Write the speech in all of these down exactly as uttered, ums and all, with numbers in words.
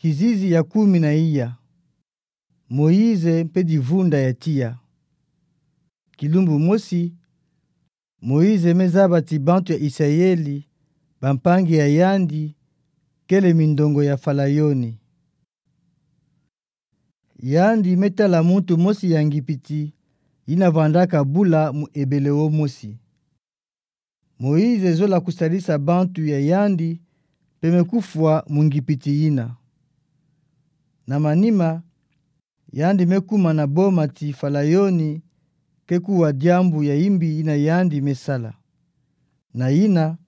Kizizi ya kumi na iya. Moïse mpe divunda ya tiya. Kilumbu mosi, Moïse mezabati bantu ya Isayeli, bampangi ya yandi, kele mindongo ya Falayoni. Yandi metala muntu mosi ya Ngipiti, yina vandaka bula mu ebele wo mosi. Moïse zola kusalisa bantu ya yandi, mpe mekufwa mu Ngipiti yina. Na manima, yandi mekuma na boma ti Falayoni, ke kuwa diambu ya imbi yina yandi mesala. Na yina,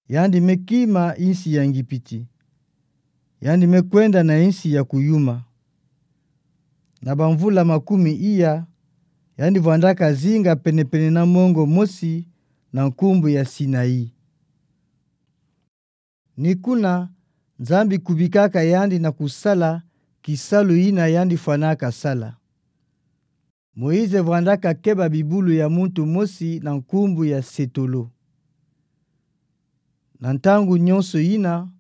yandi mekima insi ya Ngipiti. Yandi mekwenda na insi ya kuyuma. Na bamvula makumi iya, yandi vandaka zinga penepene na mongo mosi na nkumbu ya Sinaï. Ni kuna, Nzambi kubikaka yandi na kusala kisalu yina yandi fwanaka sala. Moïse vandaka keba bibulu ya muntu mosi na nkumbu ya Setolo. Na ntangu nyonso yina,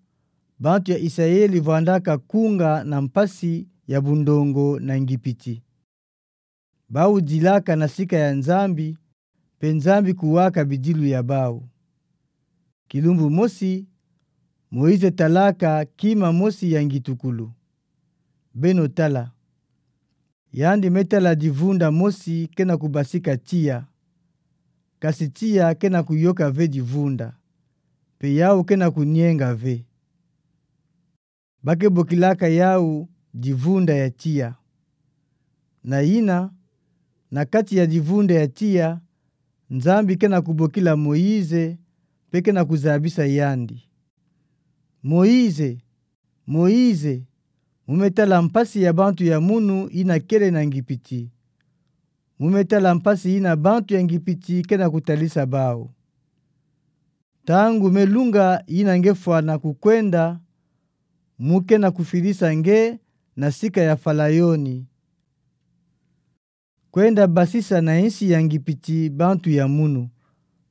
bantu ya Isayeli vandaka kunga na mpasi ya bundongo na Ngipiti. Bau dilaka na sika ya Nzambi, mpe Nzambi kuwaka bidilu ya bau. Kilumbu mosi, Moïse talaka kima mosi ya ngitukulu. Beno tala. Yandi metala divunda mosi kena kubasika tiya. Kasi tiya kena kuyoka ve divunda. Mpe yau kena kunienga ve. Bakebokilaka yau divunda ya tiya. Na yina, na kati ya divunda ya tiya, Nzambi kena kubokila Moïse, mpe kena kuzabisa yandi. Moïse, Moïse, mu metala mpasi ya bantu ya munu yina kele na Ngipiti. Mu metala mpasi yina bantu ya Ngipiti kena kutalisa bau. Ntangu me lunga yina nge fwana kukwenda, mu kena kufidisa nge na sika ya Falayoni. Kwenda basisa na insi ya Ngipiti bantu ya munu,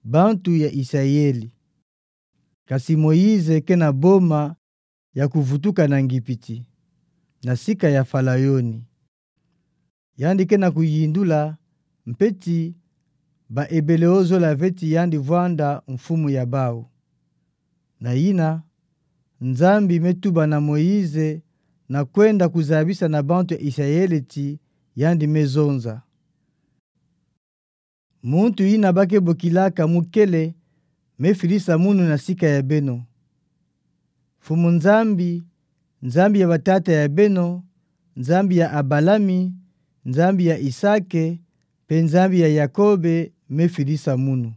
bantu ya Isayeli. Kasi Moïse kena boma ya kuvutuka na Ngipiti, na sika ya Falayoni. Yandi kena kuyindula, mpe ti, ba ebele ozola ve ti yandi vwanda mfumu ya bau. Na yina, Nzambi metuba na Moïse na kwenda kuzabisa na bantu ya Isayeli ti yandi mezonza. Muntu yina bakebokilaka mu kele, mefidisa munu na sika ya beno. Mfumu Nzambi, Nzambi ya batata ya beno, Nzambi ya Abalami, Nzambi ya Isake, mpe Nzambi ya Yakobe, mefidisa munu.